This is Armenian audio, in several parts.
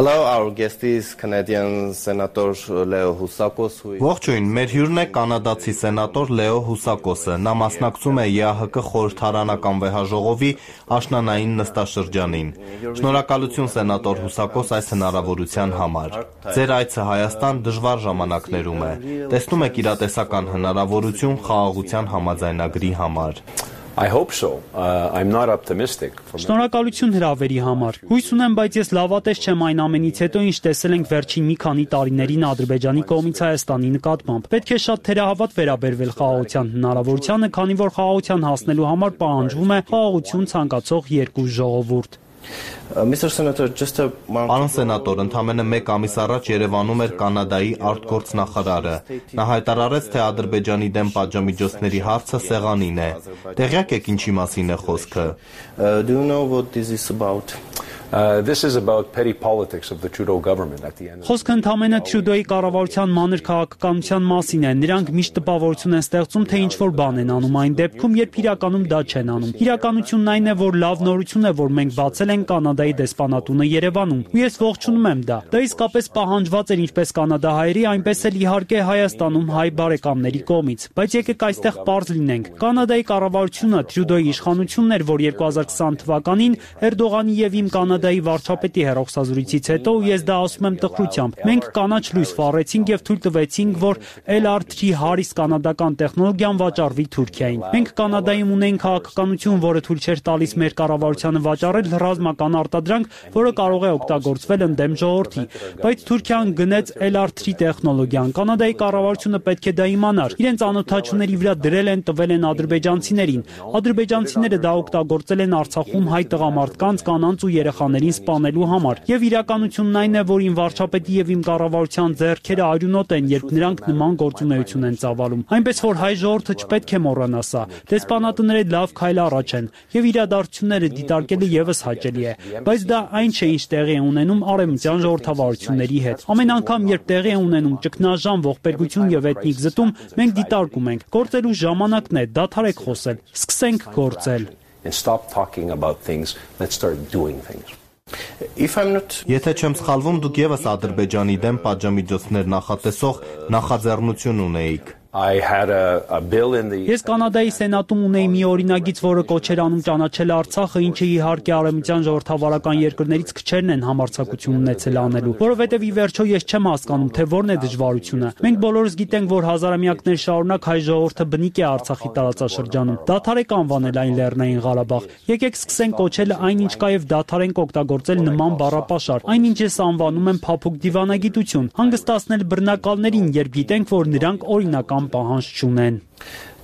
Hello, our guest is Canadian Senator Leo Housakos. Ողջույն, մեր հյուրն է կանադացի սենատոր Լեո Հուսակոսը։ Նա մասնակցում է ԵԱՀԿ խորհրդարանական վեհաժողովի աշնանային նստաշրջանին։ Շնորհակալություն սենատոր Հուսակոս այս հնարավորության համար։ Ձեր այցը Հայաստան դժվար ժամանակներում է։ Տեսնում եք իրատեսական հնարավորություն խաղաղության համաձայնագրի համար։ I hope so. I'm not optimistic. Շնորհակալություն հրավերի համար։ Հույս ունեմ, բայց ես լավատես չեմ այն ամենից հետո, ինչ տեսել ենք վերջին մի քանի տարիներին Ադրբեջանի կողմից Հայաստանի նկատմամբ։ Պետք է շատ թերահավատ վերաբերվել խաղաղության հնարավորությանը, քանի որ խաղաղության հասնելու համար պահանջվում է խաղաղություն ցանկացող երկու ժողովուրդ։ Mr. Senator, Պարոն սենատոր, ընդամենը մեկ ամիս առաջ Երևանում էր Կանադայի արտգործնախարարը։ Նա հայտարարեց, թե Ադրբեջանի դեմ պատժամիջոցների հարցը սեղանին է։ Տեղյակ եք ինչի մասին է խոսքը։ do you know what this is about? This is about petty politics of the Trudeau government at the end. Խոսքը ընդամենը Տրյուդոյի կառավարության մանր քաղաքականության մասին է։ Նրանք միշտ տպավորություն են ստեղծում, թե ինչ-որ բան են անում այն դեպքում, երբ իրականում դա չեն անում։ Իրականությունն այն է, որ լավ նորություն է, որ մենք բացել ենք Կանադայի դեսպանատունը Երևանում։ Ու ես ողջունում եմ դա։ Դա իսկապես պահանջված էր ինչպես կանադահայերի, այնպես էլ իհարկե Հայաստանում հայ բարեկամների կողմից։ Բայց եկեք այստեղ պարզ լինենք։ Կանադայի կառավարությունը Տրյուդոյի իշխանությունն էր, որ 2020 թվականին Էրդողանի եւ իմ Կանադայի վարչապետի հեռախոսազրույցից հետո, ու ես դա ասում եմ տխրությամբ, մենք կանաչ լույս վառեցինք եւ թույլ տվեցինք, որ LR3 Harris կանադական տեխնոլոգիան վաճառվի Թուրքիային։ Մենք Կանադայում ունենք քաղաքականություն, որը թույլ չէր տալիս մեր կառավարությանը վաճառել ռազմական արտադրանք, որը կարող է օգտագործվել ընդդեմ ժողովրդի։ Բայց Թուրքիան գնեց LR3 տեխնոլոգիան։ Կանադայի կառավարությունը պետք է դա իմանար։ Իրենց անօթաչուների վրա դրել են, տվել են ադրբեջանցիներին։ Ադրբեջանցիները դա օգտագործել են Արցախում հայ տղամարդկանց, կանանց ու երեխաներին սպանելու համար։ Եվ իրականությունն այն է, որ իմ վարչապետի եւ իմ կառավարության ձեռքերը արյունոտ են, երբ նրանք նման գործունեություն են ծավալում։ Այնպես որ հայ ժողովուրդը չպետք է մոռանա սա։ Դեսպանատները լավ քայլ առաջ են եւ իրադարձությունները դիտարկելը եւս հաճելի է, բայց դա այն չէ, ինչ տեղի է ունենում արևմտյան ժողովրդավարությունների հետ։ Ամեն անգամ, երբ տեղի է ունենում ճգնաժամ, ողբերգություն եւ էթնիկ զտում, մենք դիտարկում ենք։ Գործելու ժամանակն է, դադարեք խոսել, սկսենք գործել։ And stop talking about things, let's start doing things. Եթե չեմ սխալվում, դուք եւս Ադրբեջանի դեմ պատժամիջոցներ նախատեսող նախաձեռնություն ունեիք։ I had a bill in the Ես Կանադայի սենատում ունեի մի օրինագիծ, որը կոչեր անում ճանաչել Արցախը, ինչը իհարկե արևմտյան ժողովրդավարական երկրներից քչերն են համարձակություն ունեցել անելու, որովհետև ի վերջո ես չեմ հասկանում, թե որն է դժվարությունը։ Մենք բոլորս գիտենք, որ հազարամյակներ շարունակ հայ ժողովուրդը բնիկ է Արցախի տարածաշրջանում։ Դադարեք անվանել այն Լեռնային Ղարաբաղ։ Եկեք սկսենք կոչել այն, ինչ կա, եւ դադարենք օգտագործել նման բառապաշար։ Այն, ինչ ես անվանում եմ փափուկ դիվանագիտություն, հանգստացնել բռնակալներին, երբ գիտենք, որ նրանք օրինական պահանջ չունեն։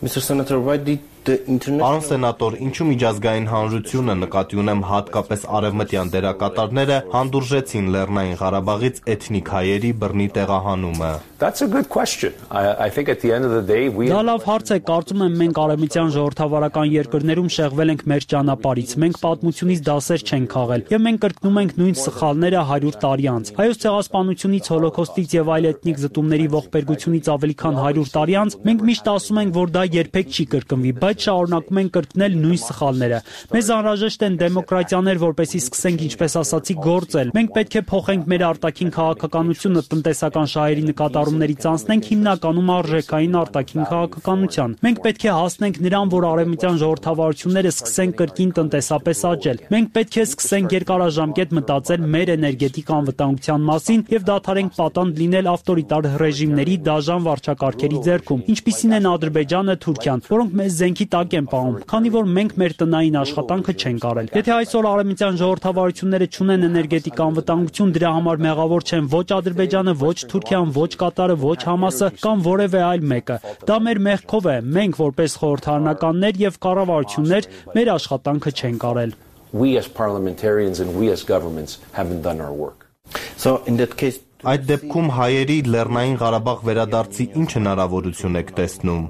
Mr. Senator, why did the international... Պարոն սենատոր, ինչու միջազգային հանրությունը, նկատի ունեմ հատկապես արևմտյան դերակատարները, հանդուրժեցին Լեռնային Ղարաբաղից էթնիկ հայերի բռնի տեղահանումը։ That's a good question. I think at the end of the day we Դա լավ հարց է, կարծում եմ մենք արևմտյան ժողովրդավարական երկրներում շեղվել ենք մեր ճանապարհից։ Մենք պատմությունից դասեր չենք քաղել, եւ մենք կրկնում ենք նույն սխալները 100 տարի անց։ Հայոց ցեղասպանությունից, հոլոկոստից եւ այլ էթնիկ զտումների ողբերգությունից ավելի քան 100 տարի անց մենք միշտ ասում ենք, որ դա երբեք չի կրկնվի, բայց շարունակում են կրկնել նույն սխալները։ Մեզ անհրաժեշտ են դեմոկրատիաներ, որպեսզի սկսենք, ինչպես ասացի, գործել։ Մենք պետք է փոխենք մեր արտաքին քաղաքականությունը տնտեսական շահերի նկատառումներից անցնենք հիմնականում արժեքային արտաքին քաղաքականության։ Մենք պետք է հասնենք նրան, որ արևմտյան ժողովրդավարությունները սկսեն կրկին տնտեսապես աճել։ Մենք պետք է սկսենք երկարաժամկետ մտածել մեր էներգետիկ անվտանգության մասին եւ դադարենք պատանդ լինել ավտորիտար ռեժիմների դաժան վարչակարգերի ձեռքում, ինչպիսին են Ադրբեջանը, Թուրքիան, որոնք մեզ զենքի տակ են պահում, քանի որ մենք մեր տնային աշխատանքը չենք արել։ Եթե այսօր արևմտյան ժողովրդավարությունները չունեն էներգետիկ անվտանգություն, դրա համար մեղավոր չեն ոչ Ադրբեջանը, ոչ Թուրքիան, ոչ Կատարը, ոչ Համասը կամ որևէ այլ մեկը։ Դա մեր մեղքով է։ Մենք որպես խորհրդարանականներ եւ կառավարություններ մեր աշխատանքը չենք արել։ We as parliamentarians and we as governments haven't done our work. So in that case, Այդ դեպքում հայերի Լեռնային Ղարաբաղ վերադարձի ինչ հնարավորություն եք տեսնում։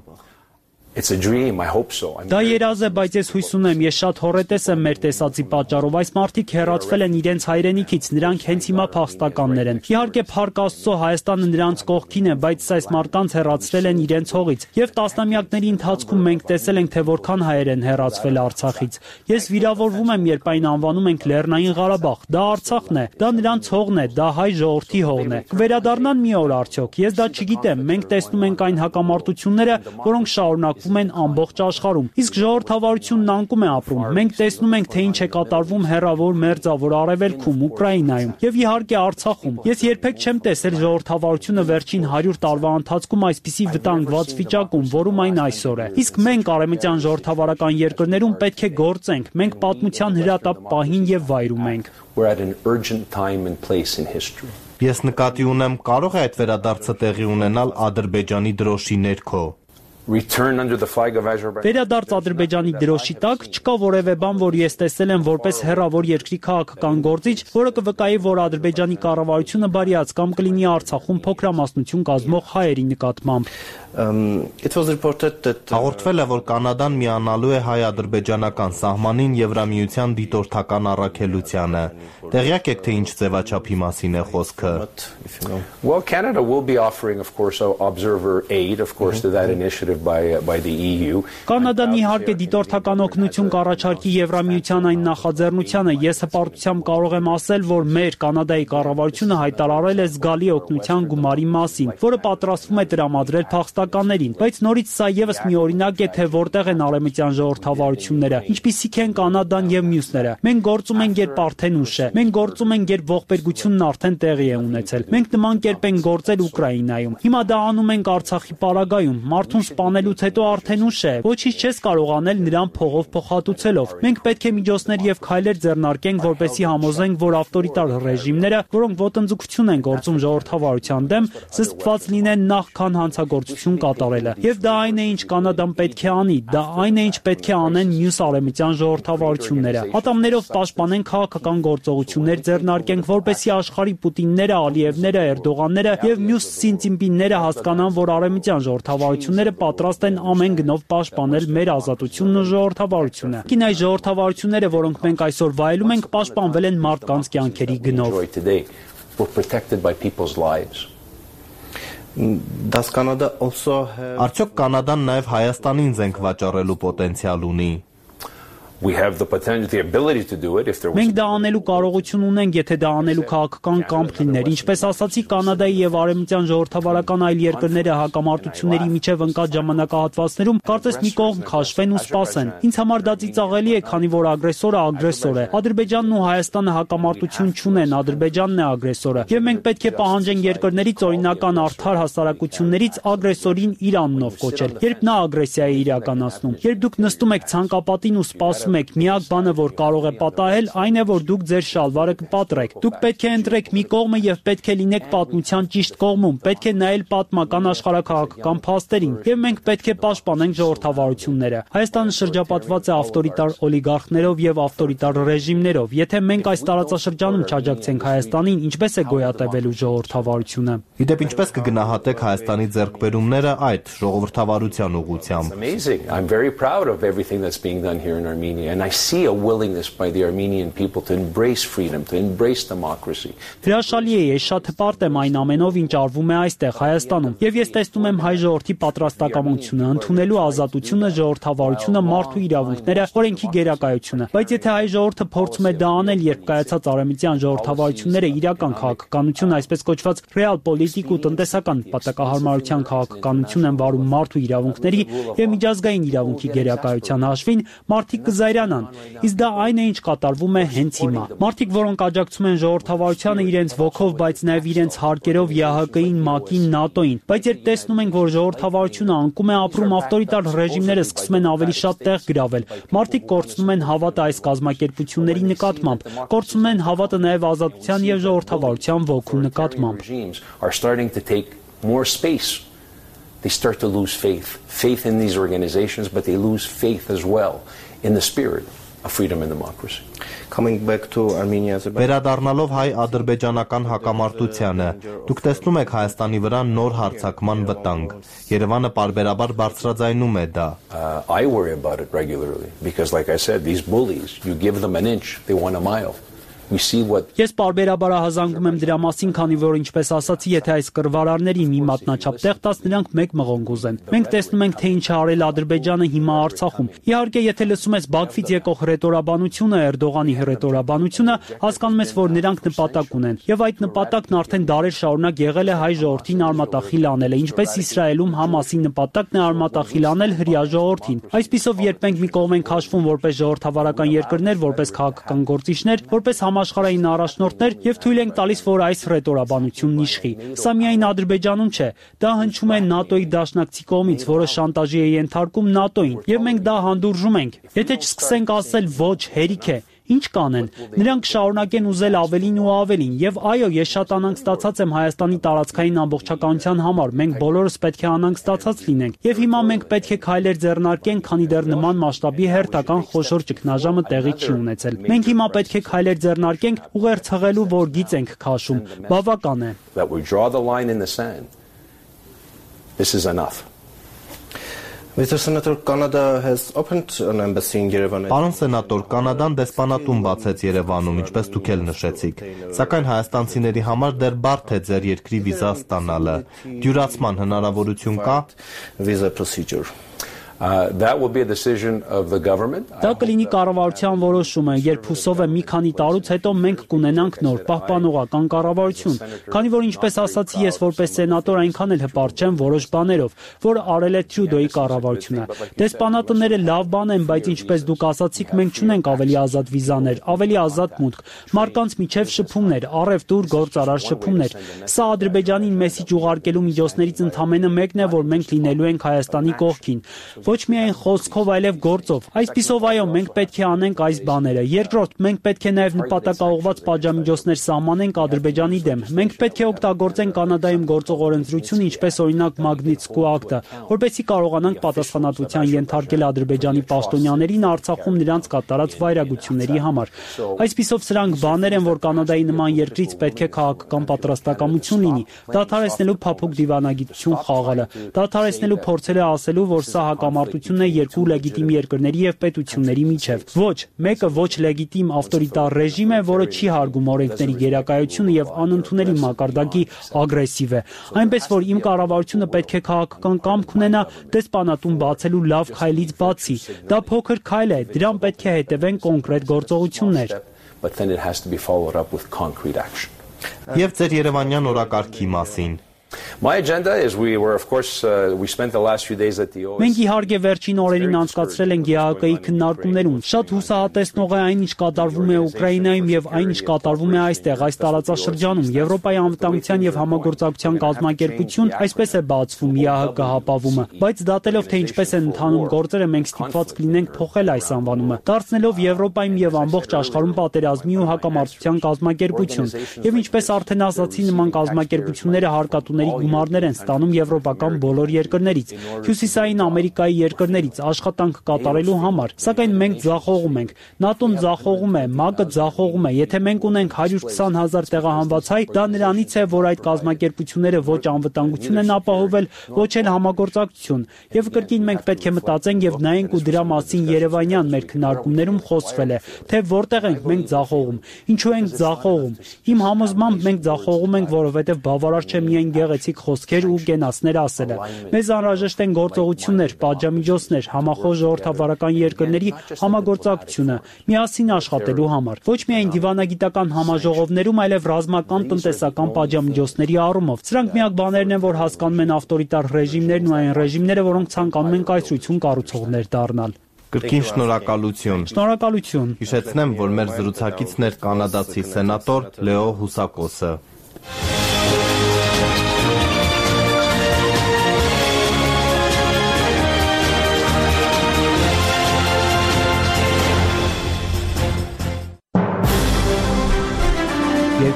It's a dream, I hope so. Դա երազ է, բայց ես հույս ունեմ, ես շատ հոռետես եմ մեր տեսածի պատճառով։ Այս մարդիկ հեռացվել են իրենց հայրենիքից, նրանք հենց հիմա փախստականներ են։ Իհարկե, փառք Աստծո, Հայաստանը նրանց կողքին է, բայց այս մարդկանց հեռացրել են իրենց հողից։ Եվ տասնամյակների ընթացքում մենք տեսել ենք, թե որքան հայեր են հեռացվել Արցախից։ Ես վիրավորվում եմ, երբ այն անվանում ենք Լեռնային Ղարաբաղ։ Դա Արցախն է, դա նրանց հողն է, դա հայ ժողովրդի հողն է։ Կվերադառնան մի օր արդյոք։ Ես դա չգիտեմ։ Մենք տեսնում ենք այն հակամարտությունները, որոնք շարունակվում են ամբողջ աշխարհում։ Իսկ ժողովրդավարությունն անկում է ապրում։ Մենք տեսնում ենք, թե ինչ է կատարվում հեռավոր մերձավոր արևելքում, Ուկրաինայում եւ իհարկե Արցախում։ Ես երբեք չեմ տեսել ժողովրդավարությունը վերջին 100 տարվա ընթացքում այսպիսի վտանգված վիճակում, որում այն այսօր է։ Իսկ մենք արևմտյան ժողովրդավարական երկրներում պետք է գործենք։ Մենք պատմության հրատապ պահին եւ վայրում ենք։ We're at an urgent time and place in history. Ես նկատի ունեմ, կարող է այդ վերադարձը տեղի ունենալ Ադրբեջանի դրոշի ներքո։ Return under the flag of Azerbaijan. Վերադարձ Ադրբեջանի դրոշի տակ չկա որևէ բան, որ ես տեսել եմ որպես հեռավոր երկրի քաղաքական գործիչ, որը կվկայի, որ Ադրբեջանի կառավարությունը բարիաց կամ կլինի Արցախում փոքրամասնություն կազմող հայերի նկատմամբ։ It was reported that Հաղորդվել է, որ Կանադան միանալու է հայ-ադրբեջանական սահմանին Եվրամիության դիտորդական առաքելությանը։ Տեղյակ եք, թե ինչ ձևաչափի մասին է խոսքը։ Well, Canada will be offering, of course, observer aid, of course, to that initiative by the EU. Կանադան իհարկե դիտորդական օգնություն կառաջարկի Եվրամիության այն նախաձեռնությանը։ Ես հպարտությամբ կարող եմ ասել, որ մեր Կանադայի կառավարությունը հայտարարել է զգալի օգնության գումարի մասին, որը պատրաստվում է տրամադրել փախստականներին, բայց նորից սա եւս մի օրինակ է, թե որտեղ են արևմտյան ժողովրդավարությունները, ինչպիսիք են Կանադան եւ մյուսները։ Մենք գործում ենք, երբ արդեն ուշ է։ Մենք գործում ենք, երբ ողբերգությունն արդեն տեղի է ունեցել։ Մենք նման կերպ ենք գործել Ուկրաինայում։ Հիմա դա անում ենք Արցախի պարագայում։ Մարդուն սպանելուց հետո արդեն ուշ է։ Ոչինչ չես կարող անել նրան փողով փոխհատուցելով։ Մենք պետք է միջոցներ եւ քայլեր ձեռնարկենք, որպեսզի համոզենք, որ ավտորիտար ռեժիմները, որոնք ոտնձգություն են գործում ժողովրդավարության դեմ, զսպված լինեն նախքան հանցագործություն կատարելը։ Եվ դա այն է, ինչ Կանադան պետք է անի, դա այն է, ինչ պետք է անեն մյուս արևմտյան ժողովրդավարությունները։ Ատամներով պաշտպանեն քաղաքական գործողություններ ձեռնարկենք, որպեսզի աշխարհի Պուտինները, Ալիևները, Էրդողանները եւ մյուս Սինծինպինները հասկանան, որ արևմտյան ժողովրդավարությունները պատրաստ են ամեն գնով պաշտպանել մեր ազատությունն ու ժողովրդավարությունը։ Կին այս ժողովրդավարությունները, որոնք մենք այսօր վայելում ենք, պաշտպանվել են մարդկանց կյանքերի գնով։ Were protected by people's lives. does Canada also have Արդյոք Կանադան նաև Հայաստանին զենք վաճառելու պոտենցիալ ունի։ We have the potential, the ability to do it if there was. Մենք դա անելու կարողություն ունենք, եթե դա անելու քաղաքական կամք լիներ։ Ինչպես ասացի, Կանադայի եւ արևմտյան ժողովրդավարական այլ երկրները հակամարտությունների միջև ընկած ժամանակահատվածներում կարծես մի կողմ քաշվեն ու սպասեն։ Ինձ համար դա ծիծաղելի է, քանի որ ագրեսորը ագրեսոր է։ Ադրբեջանն ու Հայաստանը հակամարտություն չունեն, Ադրբեջանն է ագրեսորը։ Եվ մենք պետք է պահանջենք երկրներից օրինական արդար հասարակություններից ագրեսորին իր անունով կոչել, երբ նա ագրեսիա է իրականացնում։ Երբ դուք նստում եք ցանկապատին ու սպասում եք, միակ բանը, որ կարող է պատահել, այն է, որ դուք ձեր շալվարը կպատրեք։ Դուք պետք է ընտրեք մի կողմը եւ պետք է լինեք պատմության ճիշտ կողմում։ Պետք է նայել պատմական աշխարհակաղակական փաստերին եւ մենք պետք է պաշտպանենք ժողովրդավարությունները։ Հայաստանը շրջապատված է ավտորիտար օլիգարխներով եւ ավտորիտար ռեժիմներով։ Եթե մենք այս տարածաշրջանում չաջակցենք Հայաստանին, ինչպես է գոյատևելու ժողովրդավարությունը։ Իդեպ ինչպես կգնահատեք Հայաստանի ձեռքբերումները այդ ժողովրդավարության ուղղությամբ։ Amazing. I'm very proud of everything that's being done here in Armenia, and I see a willingness by the Armenian people to embrace freedom, to embrace democracy. Հրաշալի է, ես շատ հպարտ եմ այն ամենով, ինչ արվում է այստեղ Հայաստանում, եւ ես տեսնում եմ հայ ժողովրդի պատրաստակամությունը, ընդունելու ազատությունը, ժողովրդավարությունը, մարդու իրավունքները, օրենքի գերակայությունը։ Բայց եթե հայ ժողովուրդը փորձում է դա անել, երբ կայացած արևմտյան ժողովրդավարությունները իրական քաղաքականություն, այսպես կոչված ռեալ պոլիտիկ ու տնտեսական պատակահարմարության քաղաքականություն են վարում մարդու իրավունքների եւ միջազգային իրավունքի գերակայության հաշվին, մարդիկ կզայրանան։ Իսկ դա այն է, ինչ կատարվում է հենց հիմա։ Մարդիկ, որոնք աջակցում են ժողովրդավարությանը իրենց ոգով, բայց նաև իրենց հարկերով ԵԱՀԿ-ին, ՄԱԿ-ին, ՆԱՏՕ-ին, բայց երբ տեսնում ենք, որ ժողովրդավարությունը անկում է ապրում, ավտորիտար ռեժիմները սկսում են ավելի շատ տեղ գրավել։ Մարդիկ կորցնում են հավատը այս կազմակերպությունների նկատմամբ, կորցնում են հավատը նաև ազատության եւ ժողովրդավարության ոգու նկատմամբ։ Are starting to take more space. They start to lose faith in these organizations, but they lose faith as well in the spirit. of freedom and democracy. Coming back to Armenia, Վերադառնալով հայ-ադրբեջանական հակամարտությանը, դուք տեսնում եք Հայաստանի վրա նոր հարձակման վտանգ։ Երևանը պարբերաբար բարձրաձայնում է դա։ I worry about it regularly because, like I said, these bullies, you give them an inch, they want a mile. We see what. Ես պարբերաբար հազանգում եմ դրա մասին, քանի որ ինչպես ասացի, եթե այս կռվարարների մի մատնաչափ տեղ տաս, նրանք մեկ մղոն կուզեն։ Մենք տեսնում ենք, թե ինչ է արել Ադրբեջանը հիմա Արցախում։ Իհարկե, եթե լսում ես Բաքվից եկող հռետորաբանությունը, Էրդողանի հռետորաբանությունը, հասկանում ես, որ նրանք նպատակ ունեն։ Եվ այդ նպատակն արդեն դարեր շարունակ եղել է հայ ժողովրդին արմատախիլ անելը, ինչպես Իսրայելում Համասի նպատակն է արմատախիլ անել հրեա ժողովրդին։ Այսպիսով, երբ մենք մի կողմ ենք հաշվում որպես ժողովրդավարական երկրներ, որպես քաղաքական գործիչներ, որպես համաշխարհային առաջնորդներ եւ թույլ ենք տալիս, որ այս հռետորաբանությունն իշխի։ Սա միայն Ադրբեջանում չէ, դա հնչում է ՆԱՏՕ-ի դաշնակցի կողմից, որը շանտաժի է ենթարկում ՆԱՏՕ-ին, եւ մենք դա հանդուրժում ենք։ Եթե չսկսենք ասել ոչ, հերիք է, ինչ կանեն։ Նրանք շարունակեն ուզել ավելին ու ավելին, եւ այո, ես շատ անհանգ ստացած եմ Հայաստանի տարածքային ամբողջականության համար։ Մենք բոլորս պետք է անհանգ ստացած լինենք։ Եվ հիմա մենք պետք է քայլեր ձեռնարկենք, քանի դեռ նման մասշտաբի հերթական խոշոր ճգնաժամը տեղի չի ունեցել։ Մենք հիմա պետք է քայլեր ձեռնարկենք ուղերձ հղելու, որ գիծ ենք քաշում։ Բավական է։ That we draw the line in the sand. This is enough. Mr. Senator, Canada has opened an embassy in Yerevan. Պարոն սենատոր, Կանադան դեսպանատուն բացեց Երևանում, ինչպես դուք էլ նշեցիք։ Սակայն հայաստանցիների համար դեռ բարդ է ձեր երկրի վիզա ստանալը։ Դյուրացման հնարավորություն կա։ Visa procedure. That will be a decision of the government. Դա կլինի կառավարության որոշումը, երբ հուսով եմ մի քանի տարուց հետո մենք կունենանք նոր պահպանողական կառավարություն։ Քանի որ ինչպես ասացի, ես որպես սենատոր այնքան էլ հպարտ չեմ որոշ բաներով, որ արել է Տրյուդոյի կառավարությունը։ Դեսպանատները լավ բան են, բայց ինչպես դուք ասացիք, մենք չունենք ավելի ազատ վիզաներ, ավելի ազատ մուտք, մարդկանց միջև շփումներ, առևտուր, գործարար շփումներ։ Սա Ադրբեջանին մեսիջ ուղարկելու միջոցներից ընդամենը մեկն է, որ մենք լինելու ենք Հայաստանի կողքին։ Ոչ միայն խոսքով, այլև գործով։ Այսպիսով, այո, մենք պետք է անենք այս բաները։ Երկրորդ, մենք պետք է նաև նպատակաուղղված պատժամիջոցներ սահմանենք Ադրբեջանի դեմ։ Մենք պետք է օգտագործենք Կանադայում գործող օրենսդրություն, ինչպես օրինակ Մագնիտսկու ակտը, որպեսզի կարողանանք պատասխանատվության ենթարկել Ադրբեջանի պաշտոնյաներին Արցախում նրանց կատարած վայրագությունների համար։ Այսպիսով, սրանք բաներ են, որ Կանադայի նման երկրից պետք է քաղաքական պատրաստակամություն լինի, դադարեցնելու փափուկ դիվանագիտություն խաղալը, դադարեցնելու փորձերը ասելու, որ սա հակամարտությունն է երկու լեգիտիմ երկրների եւ պետությունների միջև։ Ոչ, մեկը ոչ լեգիտիմ ավտորիտար ռեժիմ է, որը չի հարգում օրենքների գերակայությունը եւ անընդունելի մակարդակի ագրեսիվ է։ Այնպես որ իմ կառավարությունը պետք է քաղաքական կամք ունենա դեսպանատուն բացելու լավ քայլից բացի։ Դա փոքր քայլ է, դրան պետք է հետևեն կոնկրետ գործողություններ։ But then it has to be followed up with concrete action. Եվ ձեր Երևանյան օրակարգի մասին։ My agenda is we spent the last few days at the OSCE. Մենք իհարկե վերջին օրերին անցկացրել ենք ԵԱՀԿ-ի քննարկումներում։ Շատ հուսահատեցնող է այն, ինչ կատարվում է Ուկրաինայում եւ այն, ինչ կատարվում է այստեղ, այս տարածաշրջանում։ Եվրոպայի անվտանգության եւ համագործակցության կազմակերպություն այսպես է բացվում ԵԱՀԿ հապավումը, բայց դատելով թե ինչպես են ընթանում գործերը, մենք ստիպված կլինենք փոխել այս անվանումը, դարձնելով Եվրոպայում եւ ամբողջ աշխարհում պատերազմի ու հակամարտության կազմակերպություն։ Եվ ինչպես արդեն ասացի, նման կազմակերպությունները հարկատուների գումարներ են ստանում եվրոպական բոլոր երկրներից, Հյուսիսային Ամերիկայի երկրներից աշխատանք կատարելու համար, սակայն մենք ձախողում ենք։ ՆԱՏՕ-ն ձախողում է, ՄԱԿ-ը ձախողում է։ Եթե մենք ունենք 120,000 տեղահանված հայ, դա նրանից է, որ այդ կազմակերպությունները ոչ անվտանգություն են ապահովել, ոչ էլ համագործակցություն։ Եվ կրկին մենք պետք է մտածենք եւ նայենք ու դրա մասին Երևանյան մեր քննարկումներում խոսվել է, թե որտեղ ենք մենք ձախողում, ինչու ենք ձախողում։ Իմ համոզմամբ մենք ձախողում ենք, որովհետեւ բավարար չէ միայն գեղեցիկ խոսքեր ու կենացներ ասելը։ Մեզ անհրաժեշտ են գործողություններ, պատժամիջոցներ, համախոհ ժողովրդավարական երկրների համագործակցությունը, միասին աշխատելու համար։ Ոչ միայն դիվանագիտական համաժողովներում, այլև ռազմական տնտեսական պատժամիջոցների առումով։ Սրանք միակ բաներն են, որ հասկանում են ավտորիտար ռեժիմներն ու այն ռեժիմները, որոնք ցանկանում են կայսրություն կառուցողներ դառնալ։ Կրկին շնորհակալություն։ Շնորհակալություն։ Հիշեցնեմ, որ մեր զրուցակիցն էր կանադացի սենատոր Լեո Հուսակոսը։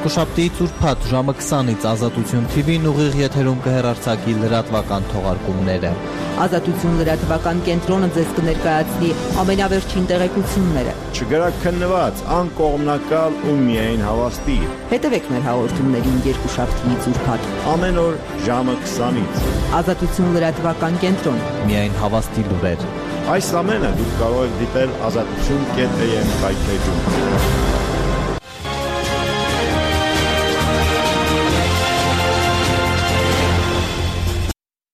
Երկուշաբթի ծուրփաթ ժամը 20-ից Ազատություն TV-ն ուղիղ եթերում կհեռարձակի լրատվական թողարկումները։ Ազատություն լրատվական կենտրոնը ձեզ կներկայացնի ամենավերջին տեղեկությունները։ Չգրաքննված, անկողմնակալ ու միայն հավաստի։ Հետևեք մեր հաղորդումներին Երկուշաբթի ծուրփաթ։ Ամեն օր ժամը 20-ից։ Ազատություն լրատվական կենտրոն։ Միայն հավաստի լուրեր։ Այս ամենը դուք կարող եք դիտել ազատություն.am կայքեջում։